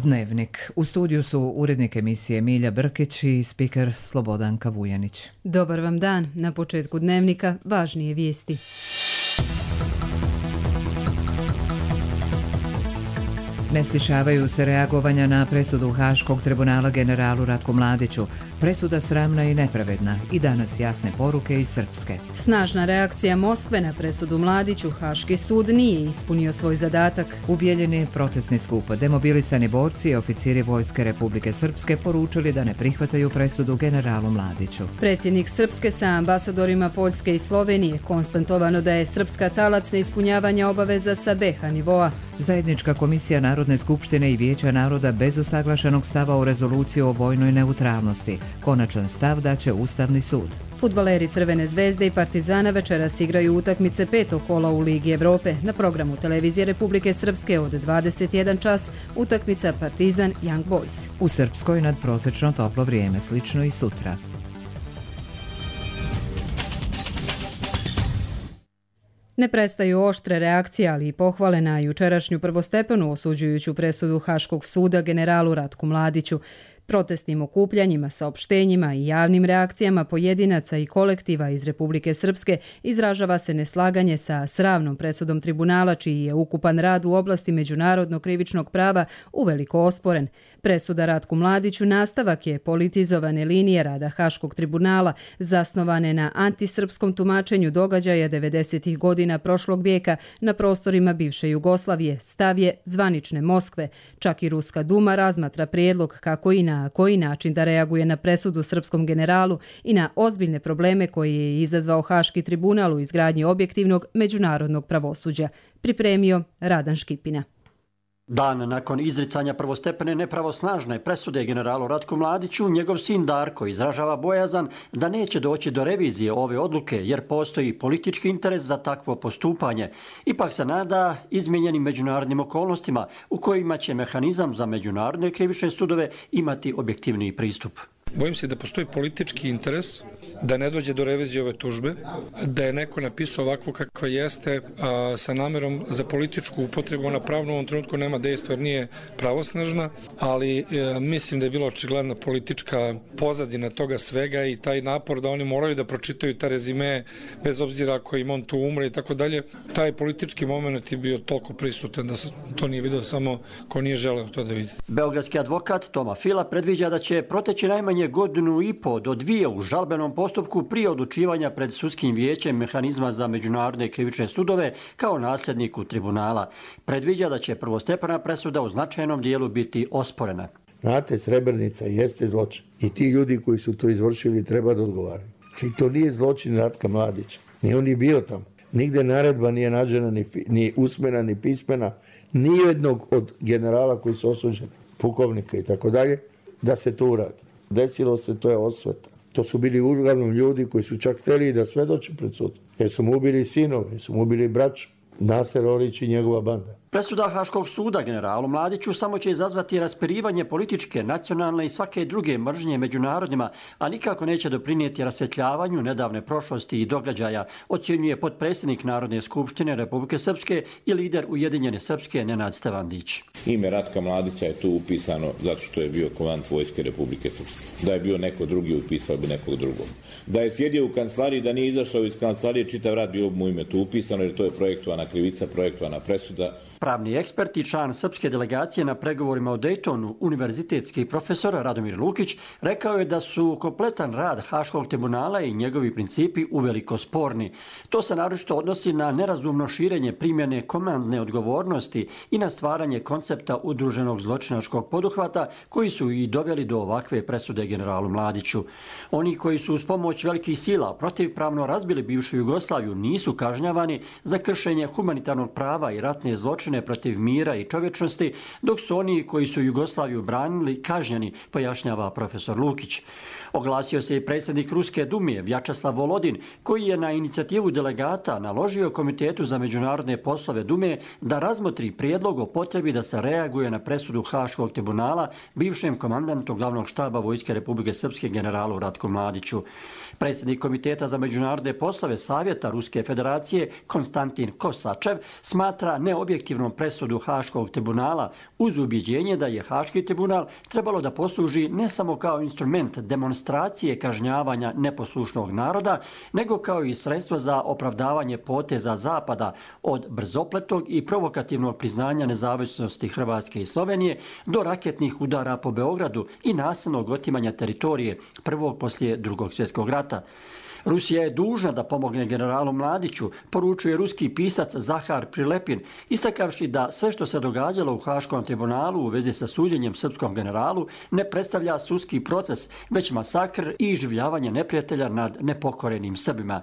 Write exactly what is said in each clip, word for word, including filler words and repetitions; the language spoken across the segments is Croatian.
Dnevnik. U studiju su urednik emisije Milja Brkić i spiker Slobodanka Vujanić. Dobar vam dan. Na početku Dnevnika važnije vijesti. Ne stišavaju se reagovanja na presudu Haškog tribunala generalu Ratku Mladiću. Presuda sramna i nepravedna i danas jasne poruke iz Srpske. Snažna reakcija Moskve na presudu Mladiću. Haški sud nije ispunio svoj zadatak. U Bijeljini protestni skup. Demobilisani borci i oficiri Vojske Republike Srpske poručili da ne prihvataju presudu generalu Mladiću. Predsjednik Srpske sa ambasadorima Poljske i Slovenije konstatovano da je Srpska talac neispunjavanja obaveza sa B iH nivoa. Zajednička komisija Narodne skupštine i Vijeća naroda bez usaglašenog stava u rezoluciju o vojnoj neutralnosti. Konačan stav daće Ustavni sud. Fudbaleri Crvene zvezde i Partizana večeras igraju utakmice petog kola u Ligi Evrope. Na programu Televizije Republike Srpske od dvadeset jedan čas utakmica Partizan Young Boys. U Srpskoj nadprosečno toplo vrijeme, slično i sutra. Ne prestaju oštre reakcije, ali i pohvale na jučerašnju prvostepenu osuđujuću presudu Haškog suda generalu Ratku Mladiću. Protestnim okupljanjima, saopštenjima i javnim reakcijama pojedinaca i kolektiva iz Republike Srpske izražava se neslaganje sa sramnom presudom tribunala, čiji je ukupan rad u oblasti međunarodnog krivičnog prava uveliko osporen. Presuda Ratku Mladiću nastavak je politizovane linije rada Haškog tribunala, zasnovane na antisrpskom tumačenju događaja devedesetih godina prošlog vijeka na prostorima bivše Jugoslavije, stav je zvanične Moskve. Čak i Ruska duma razmatra prijedlog kako i na koji način da reaguje na presudu srpskom generalu i na ozbiljne probleme koje je izazvao Haški tribunal u izgradnji objektivnog međunarodnog pravosuđa. Pripremio Radan Škipina. Dan nakon izricanja prvostepene nepravosnažne presude generalu Ratku Mladiću, njegov sin Darko izražava bojazan da neće doći do revizije ove odluke jer postoji politički interes za takvo postupanje. Ipak se nada izmijenjenim međunarodnim okolnostima u kojima će mehanizam za međunarodne krivične sudove imati objektivniji pristup. Bojim se da postoji politički interes da ne dođe do revizije ove tužbe, da je neko napisao ovako kakva jeste a, sa namjerom za političku upotrebu. Ona pravno u ovom trenutku nema dejstva jer nije pravosnažna, ali e, mislim da je bila očigledna politička pozadina toga svega i taj napor da oni moraju da pročitaju ta rezime bez obzira ako im on tu umre i tako dalje. Taj politički moment je bio toliko prisutan da se to nije vidio samo ko nije želeo to da vidi. Beogradski advokat Toma Fila predviđa da će proteći najmanje godinu i po do dvije u žalbenom postupku prije odlučivanja pred sudskim vijećem mehanizma za međunarodne krivične sudove kao nasljedniku tribunala. Predviđa da će prvostepena presuda u značajnom dijelu biti osporena. Znate, Srebrenica jeste zločin i ti ljudi koji su to izvršili treba da odgovaraju. I to nije zločin Ratka Mladića. Ni on je bio tamo. Nigde naredba nije nađena, ni, ni usmena, ni pismena, ni jednog od generala koji su osuđeni, pukovnika i tako dalje, da se to uradi. Desilo se, to je osveta. To su bili uglavnom ljudi koji su čak htjeli da svedoče pred sud. Jer su mu ubili sinove, jer su mu ubili braću. Naser Orić i njegova banda. Presuda Haškog suda generalu Mladiću samo će izazvati raspirivanje političke, nacionalne i svake druge mržnje među narodima, a nikako neće doprinijeti rasvjetljavanju nedavne prošlosti i događaja, ocjenjuje potpredsjednik Narodne skupštine Republike Srpske i lider Ujedinjene Srpske Nenad Stevandić. Ime Ratka Mladića je tu upisano zato što je bio komandant Vojske Republike Srpske. Da je bio neko drugi, upisao bi nekog drugog. Da je sjedio u kancelariji, da nije izašao iz kancelarije, čitav rad bilo mu ime tu upisano jer to je projektovana krivica, projektovana presuda. Pravni ekspert i član srpske delegacije na pregovorima o Dejtonu, univerzitetski profesor Radomir Lukić, rekao je da su kompletan rad Haškog tribunala i njegovi principi uveliko sporni. To se naročito odnosi na nerazumno širenje primjene komandne odgovornosti i na stvaranje koncepta udruženog zločinačkog poduhvata koji su i doveli do ovakve presude generalu Mladiću. Oni koji su uz pomoć velikih sila protivpravno razbili bivšu Jugoslaviju nisu kažnjavani za kršenje humanitarnog prava i ratne zločine protiv mira i čovječnosti, dok su oni koji su Jugoslaviju branili kažnjeni, pojašnjava profesor Lukić. Oglasio se i predsjednik Ruske Dume Vjačeslav Volodin, koji je na inicijativu delegata naložio Komitetu za međunarodne poslove Dume da razmotri prijedlog o potrebi da se reaguje na presudu Haškog tribunala bivšem komandantu glavnog štaba Vojske Republike Srpske generalu Ratku Mladiću. Predsjednik Komiteta za međunarodne poslove Savjeta Ruske federacije Konstantin Kosačev smatra neobjektivnom presudu Haškog tribunala uz ubjeđenje da je Haški tribunal trebalo da posluži ne samo kao instrument demonstracije kažnjavanja neposlušnog naroda, nego kao i sredstvo za opravdavanje poteza Zapada od brzopletog i provokativnog priznanja nezavisnosti Hrvatske i Slovenije do raketnih udara po Beogradu i nasilnog otimanja teritorije prvog poslije drugog svjetskog rata. Rusija je dužna da pomogne generalu Mladiću, poručuje ruski pisac Zahar Prilepin, istakavši da sve što se događalo u Haškom tribunalu u vezi sa suđenjem srpskom generalu ne predstavlja sudski proces, već masakr i iživljavanje neprijatelja nad nepokorenim Srbima.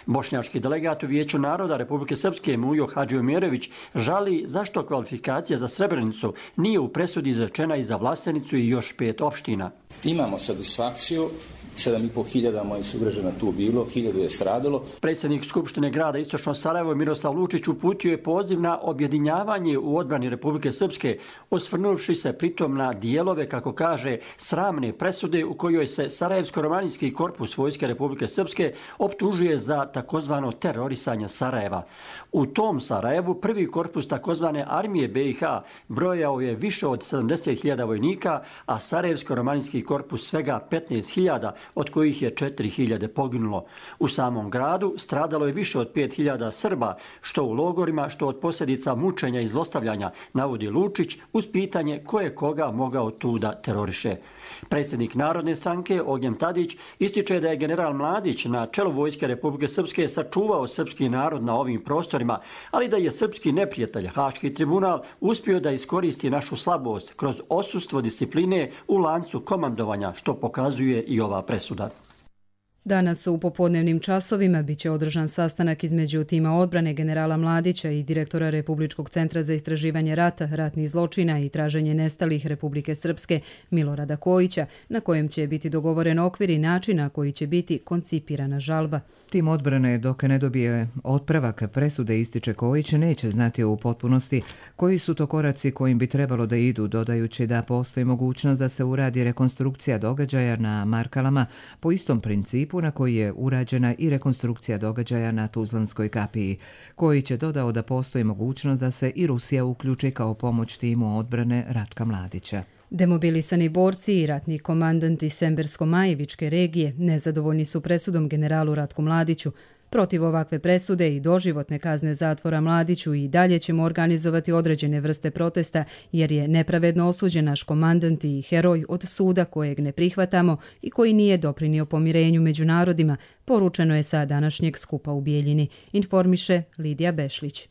Bošnjački delegat u Vijeću naroda Republike Srpske Mujo Hadžiomirović žali zašto kvalifikacija za Srebrenicu nije u presudi izrečena i za Vlasenicu i još pet opština. Imamo satisfakciju, sedam i pol hiljada mojih sugrađana tu bilo, hiljadu je stradalo. Predsjednik Skupštine grada Istočno Sarajevo Miroslav Lučić uputio je poziv na objedinjavanje u odbrani Republike Srpske, osvrnuvši se pritom na dijelove, kako kaže, sramne presude u kojoj se Sarajevsko-romanijski korpus Vojske Republike Srpske optužuje za takozvano terorisanje Sarajeva. U tom Sarajevu prvi korpus takozvane armije be i ha brojao je više od sedamdeset hiljada vojnika, a Sarajevsko-romanijski korpus svega petnaest hiljada, od kojih je četiri hiljade poginulo. U samom gradu stradalo je više od pet hiljada Srba, što u logorima, što od posljedica mučenja i zlostavljanja, navodi Lučić uz pitanje ko je koga mogao tu da teroriše. Predsjednik Narodne stranke Ognjen Tadić ističe da je general Mladić na čelu Vojske Republike Srpske sačuvao srpski narod na ovim prostorima, ali da je srpski neprijatelj Haški tribunal uspio da iskoristi našu slabost kroz odsustvo discipline u lancu komandovanja, što pokazuje i ova presuda. Danas u popodnevnim časovima biće održan sastanak između tima odbrane generala Mladića i direktora Republičkog centra za istraživanje rata, ratnih zločina i traženje nestalih Republike Srpske Milorada Kojića, na kojem će biti dogovoren okvir i način na koji će biti koncipirana žalba. Tim odbrane, dok ne dobije otpravak presude, ističe Kojić, neće znati u potpunosti koji su to koraci kojim bi trebalo da idu, dodajući da postoji mogućnost da se uradi rekonstrukcija događaja na Markalama po istom principu na koji je urađena i rekonstrukcija događaja na Tuzlanskoj kapiji. Kojić je dodao da postoji mogućnost da se i Rusija uključi kao pomoć timu odbrane Ratka Mladića. Demobilisani borci i ratni komandanti Sembersko-Majevičke regije nezadovoljni su presudom generalu Ratku Mladiću. Protiv ovakve presude i doživotne kazne zatvora Mladiću i dalje ćemo organizovati određene vrste protesta jer je nepravedno osuđen naš komandant i heroj od suda kojeg ne prihvatamo i koji nije doprinio pomirenju među narodima, poručeno je sa današnjeg skupa u Bijeljini, informiše Lidija Bešlić.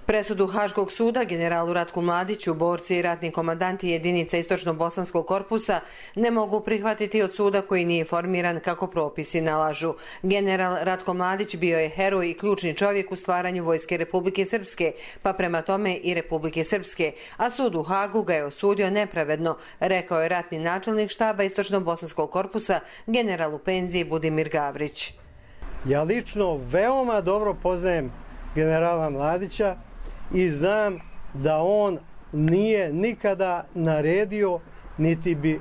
Presudu Haškog suda generalu Ratku Mladiću borci i ratni komandanti jedinica Istočno-Bosanskog korpusa ne mogu prihvatiti od suda koji nije formiran kako propisi nalažu. General Ratko Mladić bio je heroj i ključni čovjek u stvaranju Vojske Republike Srpske, pa prema tome i Republike Srpske, a sud u Hagu ga je osudio nepravedno, rekao je ratni načelnik štaba Istočno-Bosanskog korpusa general u penziji Budimir Gavrić. Ja lično veoma dobro poznajem generala Mladića i znam da on nije nikada naredio, niti bi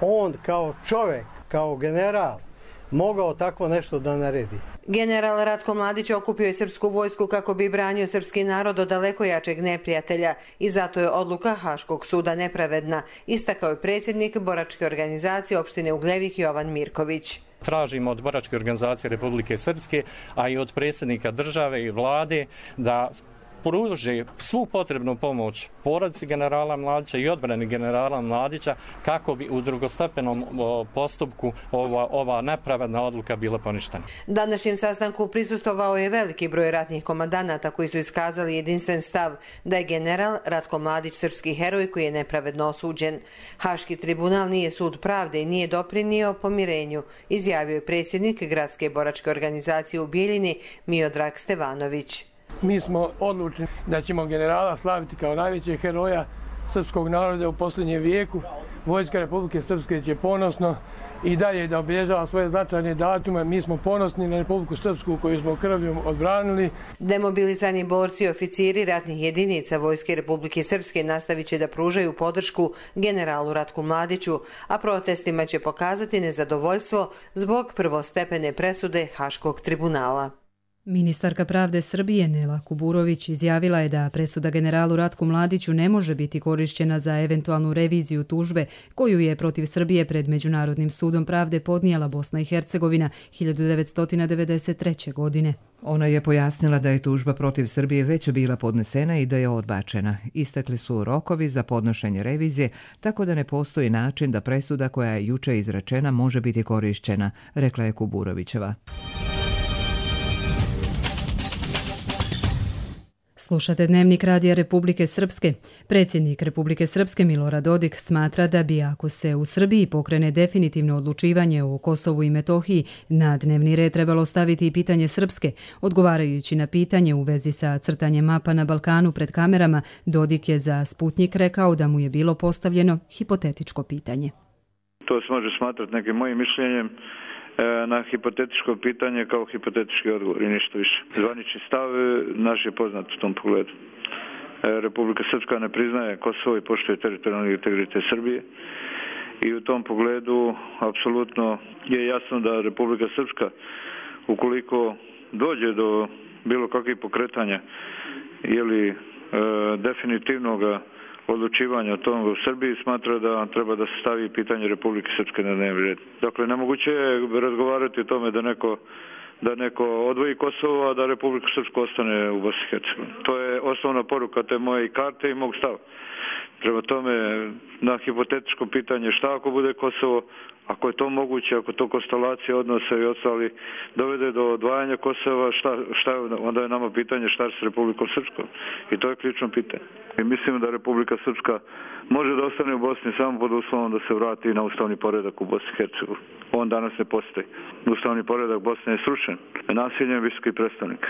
on kao čovjek, kao general, mogao tako nešto da naredi. General Ratko Mladić okupio je srpsku vojsku kako bi branio srpski narod od daleko jačeg neprijatelja i zato je odluka Haškog suda nepravedna, istakao je predsjednik boračke organizacije opštine Ugljevik Jovan Mirković. Tražimo od boračke organizacije Republike Srpske, a i od predsjednika države i vlade da pruži svu potrebnu pomoć porodici generala Mladića i odbrani generala Mladića kako bi u drugostepenom postupku ova, ova nepravedna odluka bila poništena. Današnjem sastanku prisustvovao je veliki broj ratnih komandanata koji su iskazali jedinstven stav da je general Ratko Mladić srpski heroj koji je nepravedno osuđen. Haški tribunal nije sud pravde i nije doprinio pomirenju, izjavio je predsjednik Gradske boračke organizacije u Bijeljini Miodrag Stevanović. Mi smo odlučni da ćemo generala slaviti kao najvećeg heroja srpskog naroda u posljednjem vijeku Vojska Republike Srpske će ponosno i dalje da obilježava svoje značajne datume. Mi smo ponosni na Republiku Srpsku koju smo krvlju odbranili. Demobilizani borci i oficiri ratnih jedinica Vojske Republike Srpske nastavit će da pružaju podršku generalu Ratku Mladiću, a protestima će pokazati nezadovoljstvo zbog prvostepene presude Haškog tribunala. Ministarka pravde Srbije Nela Kuburović izjavila je da presuda generalu Ratku Mladiću ne može biti korišćena za eventualnu reviziju tužbe koju je protiv Srbije pred Međunarodnim sudom pravde podnijela Bosna i Hercegovina hiljadu devetsto devedeset treće. godine. Ona je pojasnila da je tužba protiv Srbije već bila podnesena i da je odbačena. Istekli su rokovi za podnošenje revizije, tako da ne postoji način da presuda koja je juče izrečena može biti korišćena, rekla je Kuburovićeva. Slušate Dnevnik Radija Republike Srpske. Predsjednik Republike Srpske Milorad Dodik smatra da bi, ako se u Srbiji pokrene definitivno odlučivanje o Kosovu i Metohiji, na dnevni red trebalo staviti i pitanje Srpske. Odgovarajući na pitanje u vezi sa crtanjem mapa na Balkanu pred kamerama, Dodik je za Sputnjik rekao da mu je bilo postavljeno hipotetičko pitanje. To se može smatrati nekim mojim mišljenjem na hipotetičko pitanje kao hipotetički odgovor i ništa više. Zvanični stav naš je poznat u tom pogledu. Republika Srpska ne priznaje Kosovo i poštuje teritorijalni integritet Srbije i u tom pogledu apsolutno je jasno da Republika Srpska, ukoliko dođe do bilo kakvih pokretanja ili e, definitivnog odlučivanja o tom u Srbiji, smatra da treba da se stavi pitanje Republike Srpske na dnevni red. Dakle, nemoguće je razgovarati o tome da neko, da neko odvoji Kosovo, a da Republika Srpska ostane u Bosni i Hercegovini. To je osnovna poruka te moje karte i mog stava. Prema tome, na hipotetičko pitanje šta ako bude Kosovo, ako je to moguće, ako to konstelacija odnosa i ostali dovede do odvajanja Kosova, šta, šta, onda je nama pitanje šta s Republikom Srpskom. I to je ključno pitanje. I mislim da Republika Srpska može da ostane u Bosni samo pod uslovom da se vrati na ustavni poredak u Bosni i Hercegovini. On danas ne postoji. Ustavni poredak Bosne je srušen nasiljem visokih predstavnika.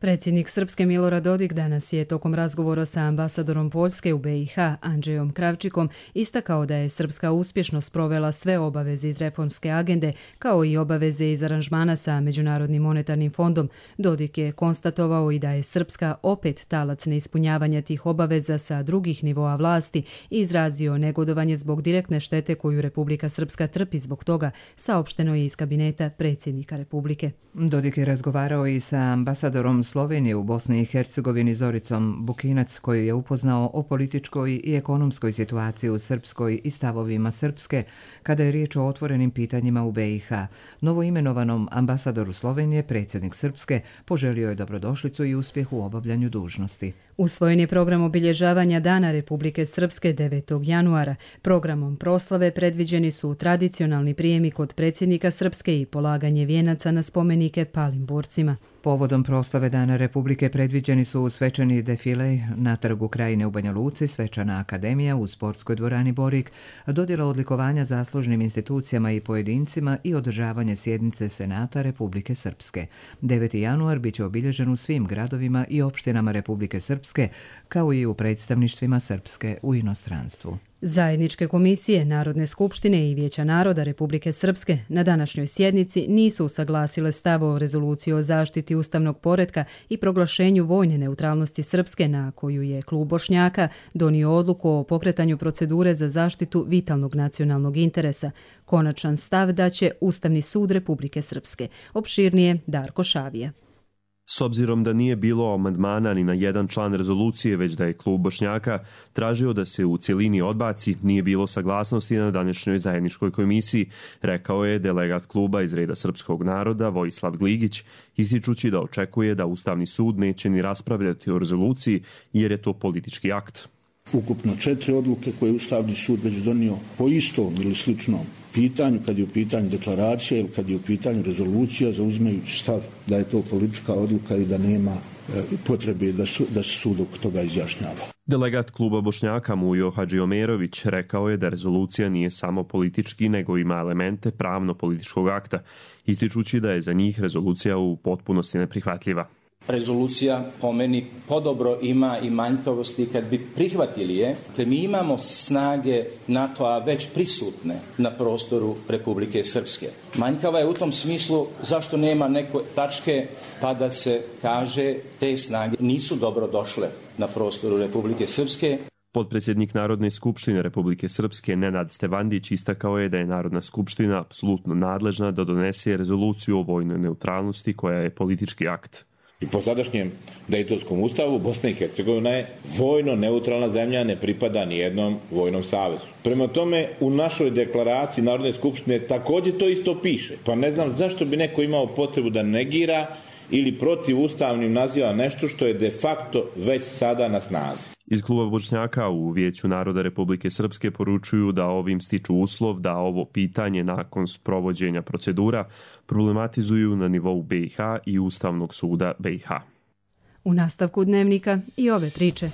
Predsjednik Srpske Milorad Dodik danas je tokom razgovora sa ambasadorom Poljske u B i H Andrzejom Kravčikom istakao da je Srpska uspješno sprovela sve obaveze iz reformske agende kao i obaveze iz aranžmana sa Međunarodnim monetarnim fondom. Dodik je konstatovao i da je Srpska opet talac neispunjavanja tih obaveza sa drugih nivoa vlasti i izrazio negodovanje zbog direktne štete koju Republika Srpska trpi zbog toga, saopšteno je iz kabineta predsjednika Republike. Dodik je razgovarao i sa ambasadorom Slovenije u Bosni i Hercegovini Zoricom Bukinac, koju je upoznao o političkoj i ekonomskoj situaciji u Srpskoj i stavovima Srpske kada je riječ o otvorenim pitanjima u B i H. Novoimenovanom ambasadoru Slovenije predsjednik Srpske poželio je dobrodošlicu i uspjeh u obavljanju dužnosti. Usvojen je program obilježavanja Dana Republike Srpske devetog januara. Programom proslave predviđeni su tradicionalni prijemi kod predsjednika Srpske i polaganje vijenaca na spomenike palim borcima. Povodom proslave Dana Republike predviđeni su svečani defile na Trgu Krajine u Banja Luci, svečana akademija u sportskoj dvorani Borik, dodjela odlikovanja zaslužnim institucijama i pojedincima i održavanje sjednice Senata Republike Srpske. deveti januar biće obilježen u svim gradovima i opštinama Republike Srpske, kao i u predstavništvima Srpske u inostranstvu. Zajedničke komisije Narodne skupštine i Vijeća naroda Republike Srpske na današnjoj sjednici nisu usaglasile stav o rezoluciji o zaštiti ustavnog poretka i proglašenju vojne neutralnosti Srpske, na koju je klub Bošnjaka donio odluku o pokretanju procedure za zaštitu vitalnog nacionalnog interesa. Konačan stav daće Ustavni sud Republike Srpske. Opširnije Darko Šavija. S obzirom da nije bilo amandmana ni na jedan član rezolucije, već da je klub Bošnjaka tražio da se u cjelini odbaci, nije bilo saglasnosti na današnjoj zajedničkoj komisiji, rekao je delegat kluba iz reda srpskog naroda Vojislav Gligić, ističući da očekuje da Ustavni sud neće ni raspravljati o rezoluciji jer je to politički akt. Ukupno četiri odluke koje je Ustavni sud već donio po istom ili sličnom pitanju, kad je u pitanju deklaracija ili kad je u pitanju rezolucija, zauzimajući stav da je to politička odluka i da nema e, potrebe da, su, da se sud oko toga izjašnjava. Delegat kluba Bošnjaka Mujo Hadžiomerović rekao je da rezolucija nije samo politički, nego ima elemente pravno-političkog akta, ističući da je za njih rezolucija u potpunosti neprihvatljiva. rezolucija po meni podobro ima i manjkavosti kad bi prihvatili je. Dakle, mi imamo snage NATO-a već prisutne na prostoru Republike Srpske. Manjkava je u tom smislu zašto nema neke tačke pa da se kaže te snage nisu dobro došle na prostoru Republike Srpske. Potpredsjednik Narodne skupštine Republike Srpske Nenad Stevandić istakao je da je Narodna skupština apsolutno nadležna da donese rezoluciju o vojnoj neutralnosti koja je politički akt. I po sadašnjem Dejtonskom ustavu Bosna i Hercegovina je vojno neutralna zemlja, ne pripada ni jednom vojnom savezu. Prema tome, u našoj deklaraciji Narodne skupštine također to isto piše. Pa ne znam zašto bi neko imao potrebu da negira ili protivustavnim naziva nešto što je de facto već sada na snazi. Iz kluba Bošnjaka u Vijeću naroda Republike Srpske poručuju da ovim stiču uslov da ovo pitanje nakon sprovođenja procedura problematizuju na nivou B i H i Ustavnog suda B i H. U nastavku dnevnika i ove priče.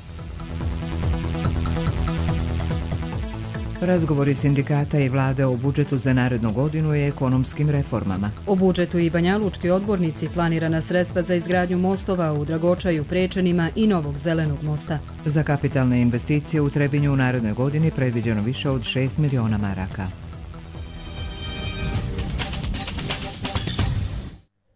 Razgovori sindikata i vlade o budžetu za narednu godinu i ekonomskim reformama. O budžetu i banjalučki odbornici planirana sredstva za izgradnju mostova u Dragočaju, Prečanima i Novog zelenog mosta. Za kapitalne investicije u Trebinju u narednoj godini predviđeno više od šest miliona maraka.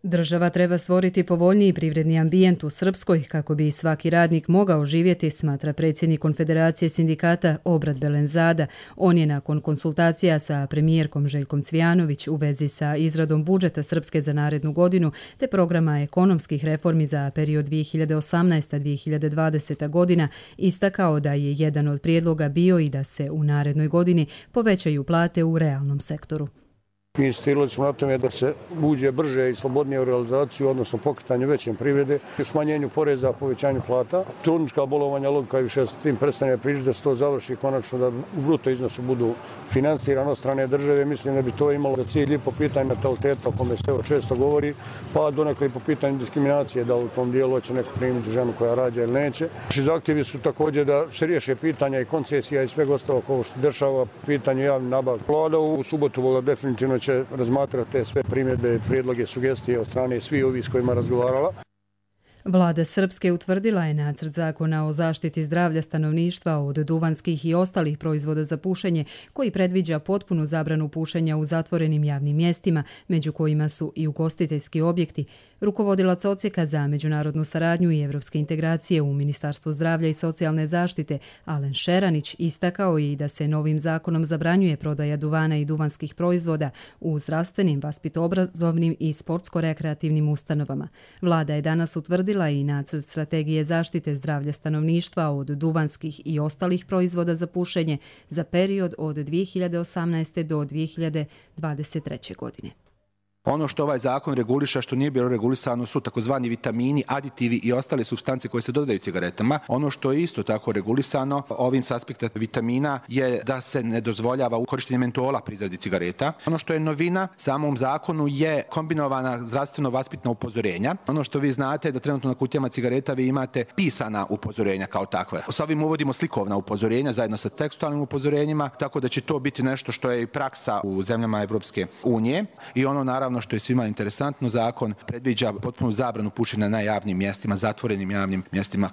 Država treba stvoriti povoljniji privredni ambijent u Srpskoj kako bi svaki radnik mogao živjeti, smatra predsjednik Konfederacije sindikata Obrad Belenzada. On je nakon konsultacija sa premijerkom Željkom Cvijanović u vezi sa izradom budžeta Srpske za narednu godinu te programa ekonomskih reformi za period dvije hiljade osamnaesta do dvije hiljade dvadesete. godina istakao da je jedan od prijedloga bio i da se u narednoj godini povećaju plate u realnom sektoru. Insistirali smo na tome da se uđe brže i slobodnije u realizaciju, odnosno pokretanje većem privrede, smanjenju poreza, povećanju plata. Trudnička bolovanja, logika i više s tim prestane pričati da se to završi konačno, da u bruto iznosu budu finansirani od strane države. Mislim da bi to imalo za cilj i po pitanju nataliteta, o kome se evo često govori, pa donekle i po pitanju diskriminacije, da u tom dijelu će neko primiti ženu koja rađa ili neće. Naši zahtjevi su također da se riješe pitanja i koncesija i svega ostalog ovo što se dešava, pitanje javne nabavke. Vlada u subotu vola definitivno će razmatrati te sve primjedbe, prijedloge, sugestije od strane svih ovih s kojima razgovarala. Vlada Srpske utvrdila je nacrt zakona o zaštiti zdravlja stanovništva od duvanskih i ostalih proizvoda za pušenje koji predviđa potpunu zabranu pušenja u zatvorenim javnim mjestima, među kojima su i ugostiteljski objekti. Rukovodilac odsjeka za međunarodnu saradnju i evropske integracije u Ministarstvu zdravlja i socijalne zaštite Alen Šeranić istakao i da se novim zakonom zabranjuje prodaja duvana i duvanskih proizvoda u zdravstvenim, vaspitoobrazovnim i sportsko-rekreativnim ustanovama. Vlada je danas utvrdila i nacrt strategije zaštite zdravlja stanovništva od duvanskih i ostalih proizvoda za pušenje za period od dvije hiljade osamnaeste. do dvije hiljade dvadeset treće. godine. Ono što ovaj zakon reguliša, što nije bilo regulisano, su takozvani vitamini, aditivi i ostale supstance koje se dodaju cigaretama. Ono što je isto tako regulisano ovim s aspekta vitamina je da se ne dozvoljava korištenje mentola pri izradi cigareta. Ono što je novina samom zakonu je kombinovana zdravstveno-vaspitna upozorenja. Ono što vi znate je da trenutno na kutijama cigareta vi imate pisana upozorenja kao takve. S ovim uvodimo slikovna upozorenja zajedno sa tekstualnim upozorenjima, tako da će to biti nešto što je i praksa u zemljama Evropske unije. I ono naravno što je svima interesantno, zakon predviđa potpunu zabranu pušenja na javnim mjestima, zatvorenim javnim mjestima.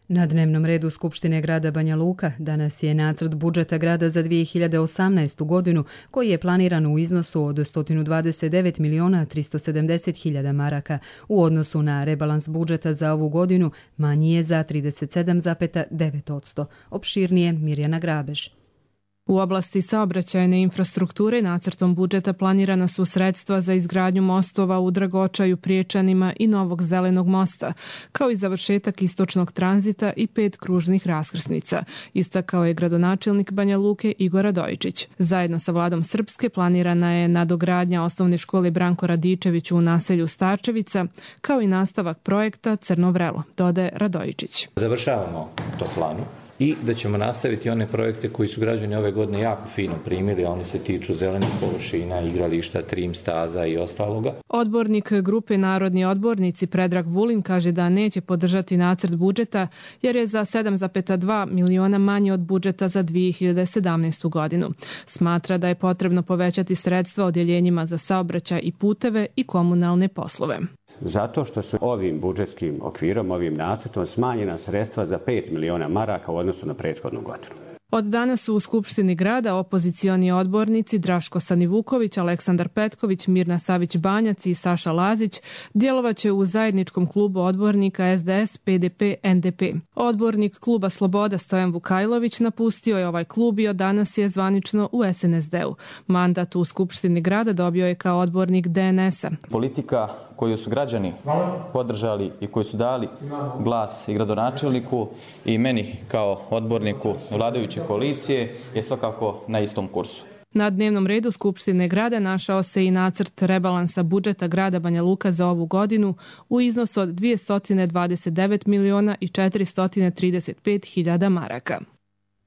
Na dnevnom redu Skupštine grada Banja Luka danas je nacrt budžeta grada za dvije hiljade osamnaestu. godinu koji je planiran u iznosu od sto dvadeset devet miliona tristo sedamdeset hiljada maraka. U odnosu na rebalans budžeta za ovu godinu manji je za trideset sedam zarez devet posto. Opširnije Mirjana Grabež. U oblasti saobraćajne infrastrukture nacrtom budžeta planirana su sredstva za izgradnju mostova u Dragočaju, Priječanima i Novog zelenog mosta, kao i završetak istočnog tranzita i pet kružnih raskrsnica, istakao je gradonačelnik Banja Luke Igor Radojičić. Zajedno sa vladom Srpske planirana je nadogradnja osnovne škole Branko Radičević u naselju Starčevica, kao i nastavak projekta Crno vrelo, dodaje Radojičić. Završavamo to planu i da ćemo nastaviti one projekte koji su građani ove godine jako fino primili, a oni se tiču zelenih površina, igrališta, trim staza i ostaloga. Odbornik grupe Narodni odbornici Predrag Vulin kaže da neće podržati nacrt budžeta jer je za sedam zarez dva miliona manje od budžeta za dvije hiljade sedamnaestu. godinu. Smatra da je potrebno povećati sredstva odjeljenjima za saobraćaj i puteve i komunalne poslove. Zato što su ovim budžetskim okvirom, ovim nacrtom smanjena sredstva za pet miliona maraka u odnosu na prethodnu godinu. Od danas su u Skupštini grada opozicioni odbornici Draško Stanivuković, Aleksandar Petković, Mirna Savić-Banjac i Saša Lazić djelovaće u zajedničkom klubu odbornika S D S, P D P, N D P. Odbornik kluba Sloboda Stojan Vukajlović napustio je ovaj klub i od danas je zvanično u S N S D-u. Mandat u Skupštini grada dobio je kao odbornik D N S-a. Politika koju su građani podržali i koji su dali glas i gradonačelniku i meni kao odborniku vladajuće koalicije je svakako na istom kursu. Na dnevnom redu Skupštine grada našao se i nacrt rebalansa budžeta grada Banja Luka za ovu godinu u iznosu od dvjesto dvadeset devet miliona i četiristo trideset pet hiljada maraka.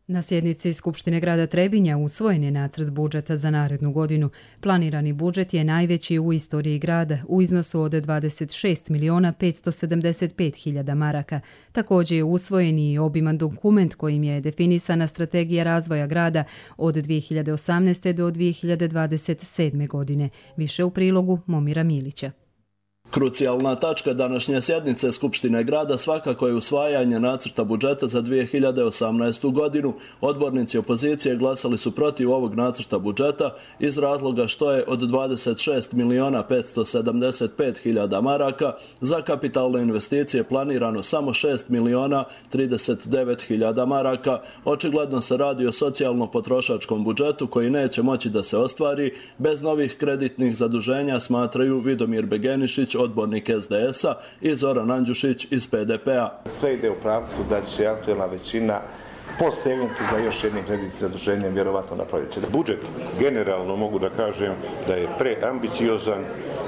Na sjednici Skupštine grada Trebinja usvojen je nacrt budžeta za narednu godinu. Planirani budžet je najveći u istoriji grada u iznosu od dvadeset šest miliona petsto sedamdeset pet hiljada maraka. Također je usvojen i obiman dokument kojim je definisana strategija razvoja grada od dvije hiljade osamnaeste. do dvije hiljade dvadeset sedme. godine. Više u prilogu Momira Milića. Krucijalna tačka današnje sjednice Skupštine grada svakako je usvajanje nacrta budžeta za dvije hiljade osamnaestu. godinu. Odbornici opozicije glasali su protiv ovog nacrta budžeta iz razloga što je od dvadeset šest miliona petsto sedamdeset pet hiljada maraka za kapitalne investicije planirano samo šest miliona trideset devet hiljada maraka. Očigledno se radi o socijalno-potrošačkom budžetu koji neće moći da se ostvari bez novih kreditnih zaduženja, smatraju Vidomir Begenišić, odbornik S D S-a, i Zoran Andjušić iz P D P-a. Sve ide u pravcu da će aktuelna većina posegnuti za još jednim kreditnim zaduženjem vjerovatno na proljeće. Budžet generalno mogu da kažem da je preambiciozan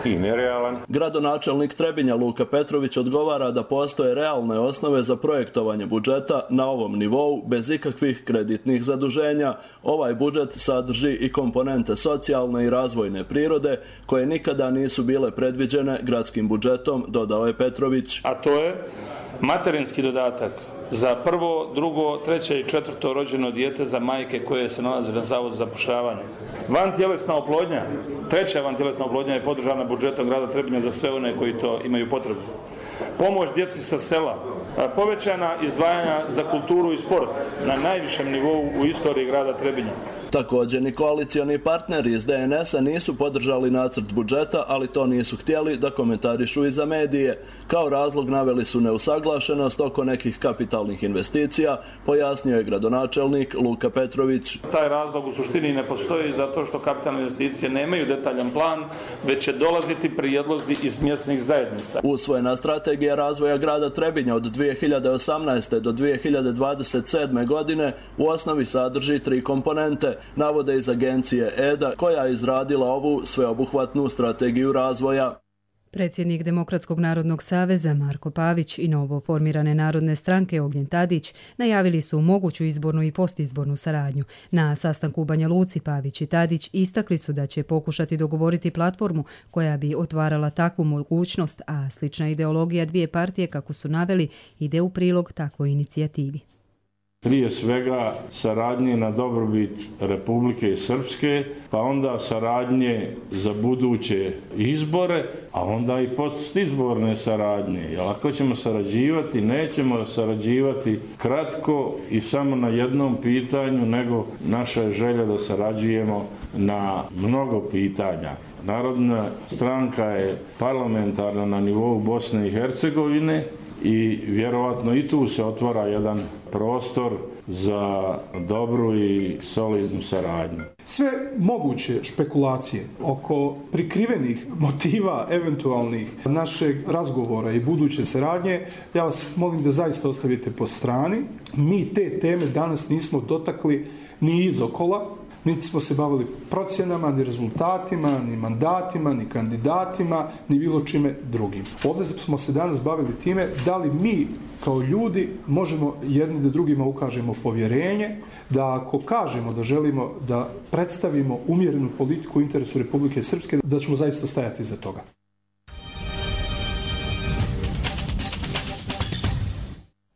i nerealan. Gradonačelnik Trebinja Luka Petrović odgovara da postoje realne osnove za projektovanje budžeta na ovom nivou bez ikakvih kreditnih zaduženja. Ovaj budžet sadrži i komponente socijalne i razvojne prirode koje nikada nisu bile predviđene gradskim budžetom, dodao je Petrović. A to je materinski dodatak za prvo, drugo, treće i četvrto rođeno dijete za majke koje se nalaze na Zavodu za zapošljavanje. Vantjelesna oplodnja, treća vantjelesna oplodnja je podržana budžetom grada Trebinja za sve one koji to imaju potrebu. Pomoć djeci sa sela, povećana izdvajanja za kulturu i sport na najvišem nivou u istoriji grada Trebinja. Također ni koalicioni partneri iz D N S-a nisu podržali nacrt budžeta, ali to nisu htjeli da komentarišu i za medije. Kao razlog naveli su neusaglašenost oko nekih kapitalnih investicija, pojasnio je gradonačelnik Luka Petrović. Taj razlog u suštini ne postoji zato što kapitalne investicije nemaju detaljan plan, već će dolaziti prijedlozi iz mjesnih zajednica. Usvojena strategija razvoja grada Trebinja od dvije hiljade osamnaeste. do dvije hiljade dvadeset sedme. godine u osnovi sadrži tri komponente, navode iz agencije E D A koja je izradila ovu sveobuhvatnu strategiju razvoja. Predsjednik Demokratskog narodnog saveza Marko Pavić i novo formirane narodne stranke Ognjen Tadić najavili su moguću izbornu i postizbornu saradnju. Na sastanku u Banja Luci Pavić i Tadić istakli su da će pokušati dogovoriti platformu koja bi otvarala takvu mogućnost, a slična ideologija dvije partije, kako su naveli, ide u prilog takvoj inicijativi. Prije svega saradnje na dobrobit Republike Srpske, pa onda saradnje za buduće izbore, a onda i postizborne saradnje. Jer ako ćemo sarađivati, nećemo sarađivati kratko i samo na jednom pitanju, nego naša je želja da sarađujemo na mnogo pitanja. Narodna stranka je parlamentarna na nivou Bosne i Hercegovine i vjerovatno i tu se otvara jedan prostor za dobru i solidnu saradnju. Sve moguće špekulacije oko prikrivenih motiva eventualnih našeg razgovora i buduće saradnje, ja vas molim da zaista ostavite po strani. Mi te teme danas nismo dotakli ni izokola, niti smo se bavili procjenama, ni rezultatima, ni mandatima, ni kandidatima, ni bilo čime drugim. Ovdje smo se danas bavili time da li mi kao ljudi možemo jedni da drugima ukažemo povjerenje, da ako kažemo da želimo da predstavimo umjerenu politiku u interesu Republike Srpske, da ćemo zaista stajati iza toga.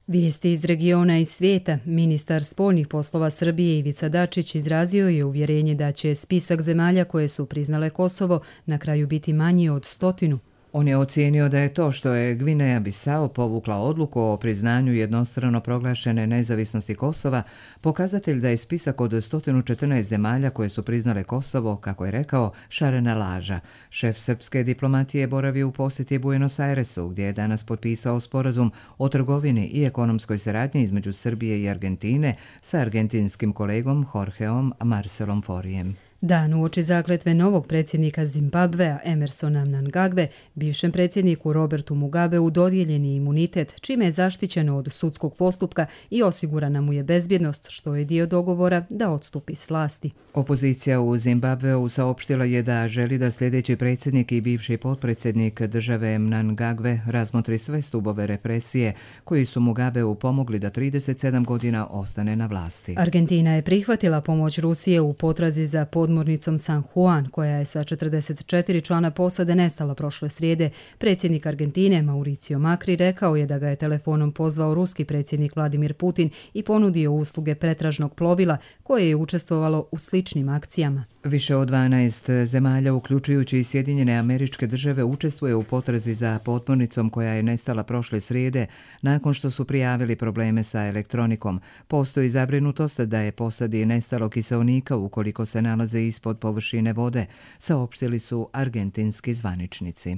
Vijesti iz regiona i svijeta. Ministar spoljnih poslova Srbije Ivica Dačić izrazio je uvjerenje da će spisak zemalja koje su priznale Kosovo na kraju biti manji od stotinu. On je ocijenio da je to što je Gvineja Bisao povukla odluku o priznanju jednostrano proglašene nezavisnosti Kosova pokazatelj da je spisak od sto četrnaest zemalja koje su priznale Kosovo, kako je rekao, šarena laža. Šef srpske diplomatije boravi u posjeti Buenos Airesu, gdje je danas potpisao sporazum o trgovini i ekonomskoj saradnji između Srbije i Argentine sa argentinskim kolegom Jorgeom Marcelom Forijem. Dan uoči zakletve novog predsjednika Zimbabvea Emersona Mnangagve, bivšem predsjedniku Robertu Mugabeu dodijeljen je imunitet, čime je zaštićeno od sudskog postupka i osigurana mu je bezbjednost, što je dio dogovora da odstupi s vlasti. Opozicija u Zimbabveu saopštila je da želi da sljedeći predsjednik i bivši potpredsjednik države Mnangagve razmotri sve stubove represije koji su Mugabeu pomogli da trideset sedam godina ostane na vlasti. Argentina je prihvatila pomoć Rusije u potrazi za podmornicom San Juan, koja je sa četrdeset četiri člana posade nestala prošle srijede. Predsjednik Argentine Mauricio Macri rekao je da ga je telefonom pozvao ruski predsjednik Vladimir Putin i ponudio usluge pretražnog plovila koje je učestvovalo u sličnim akcijama. Više od dvanaest zemalja, uključujući i Sjedinjene Američke Države, učestvuje u potrazi za podmornicom koja je nestala prošle srijede nakon što su prijavili probleme sa elektronikom. Postoji zabrinutost da je posadi nestalo kiseonika ukoliko se nalaze ispod površine vode, saopštili su argentinski zvaničnici.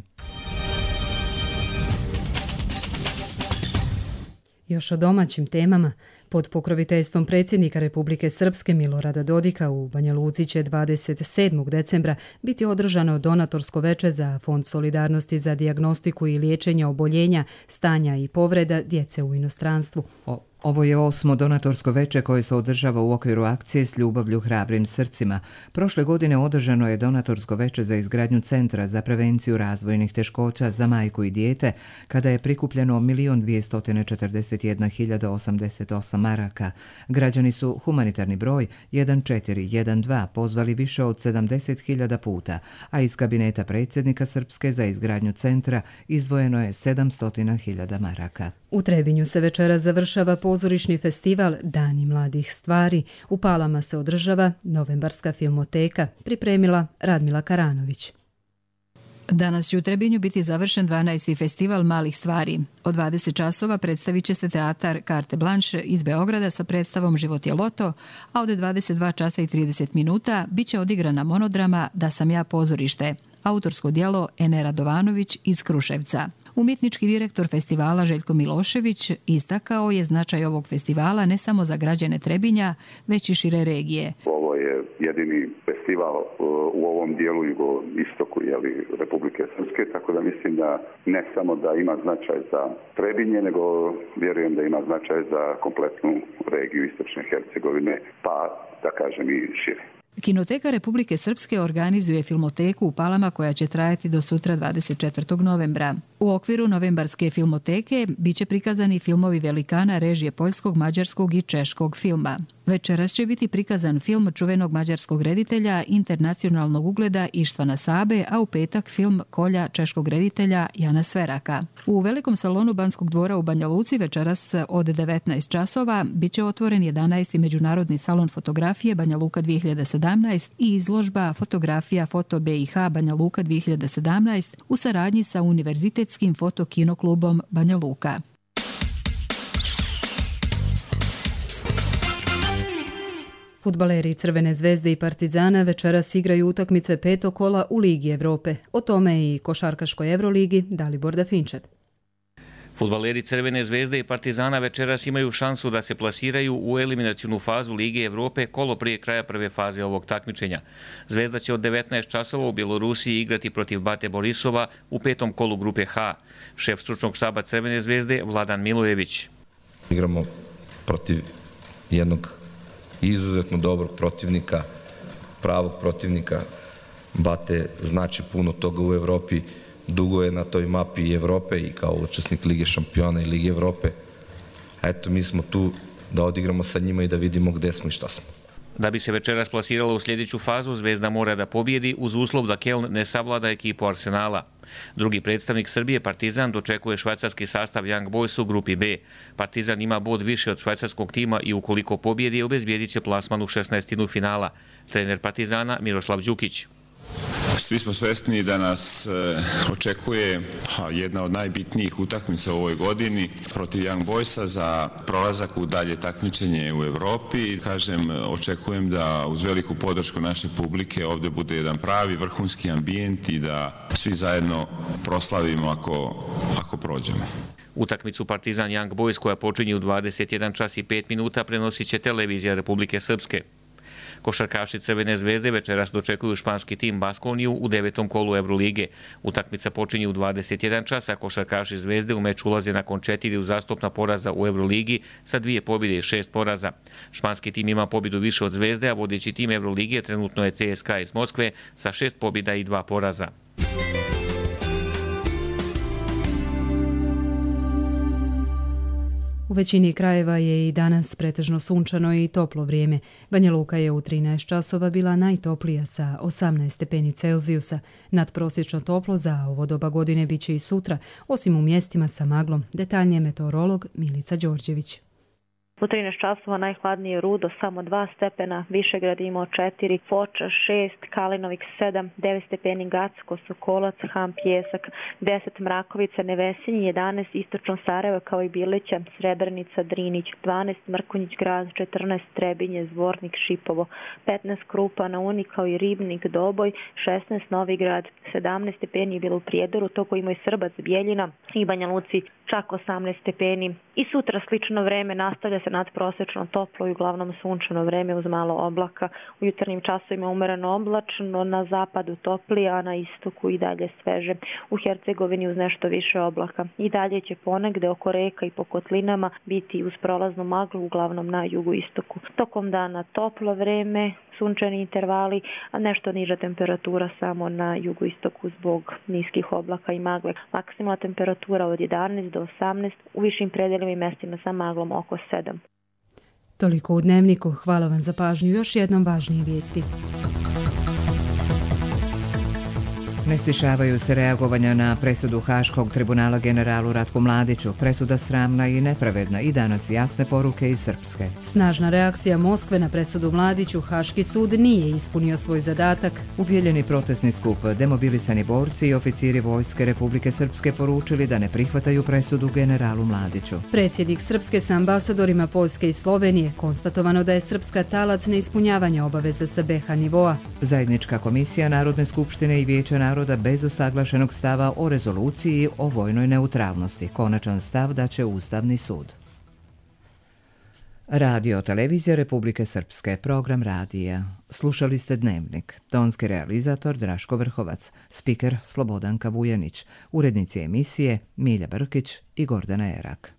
Još o domaćim temama. Pod pokroviteljstvom predsjednika Republike Srpske Milorada Dodika u Banja Luci će dvadeset sedmog decembra biti održano donatorsko veče za Fond solidarnosti za dijagnostiku i liječenje oboljenja, stanja i povreda djece u inostranstvu. O Ovo je osmo donatorsko veče koje se održava u okviru akcije S ljubavlju hrabrim srcima. Prošle godine održano je donatorsko veče za izgradnju Centra za prevenciju razvojnih teškoća za majku i dijete, kada je prikupljeno milion dvjesto četrdeset jedna hiljada osamdeset osam maraka. Građani su humanitarni broj jedan četiri jedan dva pozvali više od sedamdeset hiljada puta, a iz kabineta predsjednika Srpske za izgradnju centra izdvojeno je sedamsto hiljada maraka. U Trebinju se večera završava pozorišni festival Dani mladih stvari. U Palama se održava Novembarska filmoteka, pripremila Radmila Karanović. Danas će u Trebinju biti završen dvanaesti festival malih stvari. Od dvadeset časova predstavit će se teatar Carte Blanche iz Beograda sa predstavom Život je loto, a od dvadeset dva časa i trideset minuta bit će odigrana monodrama Da sam ja pozorište, autorsko djelo Ene Radovanović iz Kruševca. Umjetnički direktor festivala Željko Milošević istakao je značaj ovog festivala ne samo za građane Trebinja, već i šire regije. Ovo je jedini festival u ovom dijelu jugoistoku Republike Srpske, tako da mislim da ne samo da ima značaj za Trebinje, nego vjerujem da ima značaj za kompletnu regiju Istočne Hercegovine, pa da kažem i šire. Kinoteka Republike Srpske organizuje filmoteku u Palama koja će trajati do sutra dvadeset četvrtog novembra. U okviru novembarske filmoteke biće prikazani filmovi velikana režije poljskog, mađarskog i češkog filma. Večeras će biti prikazan film čuvenog mađarskog reditelja internacionalnog ugleda Ištvana Sabe, a u petak film Kolja češkog reditelja Jana Sveraka. U velikom salonu Banskog dvora u Banja Luci večeras od devetnaest časova biće otvoren jedanaesti međunarodni salon fotografije Banja Luka dvije hiljade sedamnaest i izložba fotografija Foto B i H Banja Luka dvije hiljade sedamnaest u saradnji sa Univerzitetskim fotokinoklubom Banja Luka. Fudbaleri Crvene zvezde i Partizana večeras igraju utakmice petog kola u Ligi Evrope. O tome i košarkaškoj Evroligi Dalibor Dafinčev. Fudbaleri Crvene zvezde i Partizana večeras imaju šansu da se plasiraju u eliminacionu fazu Lige Evrope kolo prije kraja prve faze ovog takmičenja. Zvezda će od devetnaest časova u Bjelorusiji igrati protiv Bate Borisova u petom kolu grupe H. Šef stručnog štaba Crvene zvezde Vladan Milojević. Igramo protiv jednog izuzetno dobrog protivnika, pravog protivnika. Bate znači puno toga u Evropi, dugo je na toj mapi Evrope i kao učesnik Lige šampiona i Lige Evrope. Eto, mi smo tu da odigramo sa njima i da vidimo gde smo i šta smo. Da bi se večeras plasirala u sljedeću fazu, Zvezda mora da pobjedi uz uslov da Keln ne savlada ekipu Arsenala. Drugi predstavnik Srbije, Partizan, dočekuje švajcarski sastav Young Boys u grupi B. Partizan ima bod više od švajcarskog tima i ukoliko pobjedi, obezbijedit će plasman u šesnaestinu finala. Trener Partizana Miroslav Đukić. Svi smo svesni da nas očekuje jedna od najbitnijih utakmica u ovoj godini protiv Young Boysa za prolazak u dalje takmičenje u Evropi. Kažem, očekujem da uz veliku podršku naše publike ovdje bude jedan pravi vrhunski ambijent i da svi zajedno proslavimo ako, ako prođemo. Utakmicu Partizan Young Boys koja počinje u dvadeset jedan čas i pet minuta prenosit će televizija Republike Srpske. Košarkaši Crvene zvezde večeras dočekuju španski tim Baskoniju u devetom kolu Evrolige. Utakmica počinje u dvadeset jedan čas, a košarkaši Zvezde u meč ulaze nakon četiri uzastopna poraza u Evroligi sa dvije pobjede i šest poraza. Španski tim ima pobjedu više od Zvezde, a vodeći tim Evrolige trenutno je C S K A iz Moskve sa šest pobjeda i dva poraza. U većini krajeva je i danas pretežno sunčano i toplo vrijeme. Banja Luka je u trinaest časova bila najtoplija sa osamnaest stepeni Celzijusa. Nadprosječno toplo za ovo doba godine bit će i sutra, osim u mjestima sa maglom. Detaljnije meteorolog Milica Đorđević. U trinaest časova najhladnije Rudo samo dva stepena, Višegrad imao četiri, Foča šest, Kalinovik sedam, devet stepeni Gacko, Sokolac, Ham, Pjesak, deset Mrakovica, Nevesinji, jedanaest Istočno Sarajevo kao i Bilića, Srebrenica, Drinić, dvanaest Mrkonjić Grad, četrnaest Trebinje, Zvornik, Šipovo, petnaest Krupa na Uni kao i Ribnik, Doboj, šesnaest Novigrad, sedamnaest stepeni je bilo u Prijedoru, toko ima i Srbac, Bijeljina i Banja Luci čak osamnaest stepeni. I sutra slično vreme nastavlja se nadprosečno toplo i uglavnom sunčano vreme uz malo oblaka. U jutarnjim časovima umereno oblačno, na zapadu toplije, a na istoku i dalje sveže. U Hercegovini uz nešto više oblaka. I dalje će ponegde oko reka i po kotlinama biti uz prolaznu maglu, uglavnom na jugoistoku. Tokom dana toplo vreme, sunčani intervali, a nešto niža temperatura samo na jugoistoku zbog niskih oblaka i magle. Maksimalna temperatura od jedanaest do osamnaest, u višim predelima i mestima sa maglom oko sedam. Toliko u Dnevniku. Hvala vam za pažnju. Još jednom važnije vijesti. Ne stišavaju se reagovanja na presudu Haškog tribunala generalu Ratku Mladiću. Presuda sramna i nepravedna i danas jasne poruke iz Srpske. Snažna reakcija Moskve na presudu Mladiću. Haški sud nije ispunio svoj zadatak. Ubijeljeni protestni skup, demobilisani borci i oficiri vojske Republike Srpske poručili da ne prihvataju presudu generalu Mladiću. Predsjednik Srpske sa ambasadorima Poljske i Slovenije konstatovano da je Srpska talac neispunjavanja obaveza sa B H nivoa. Zajednička komisija Narodne skupštine i Vijeća naroda bez usaglašenog stava o rezoluciji o vojnoj neutralnosti. Konačan stav daće Ustavni sud. Radio televizija Republike Srpske, program radija. Slušali ste Dnevnik. Tonski realizator Draško Vrhovac, spiker Slobodanka Vujanić, urednici emisije Milja Brkić i Gordana Erak.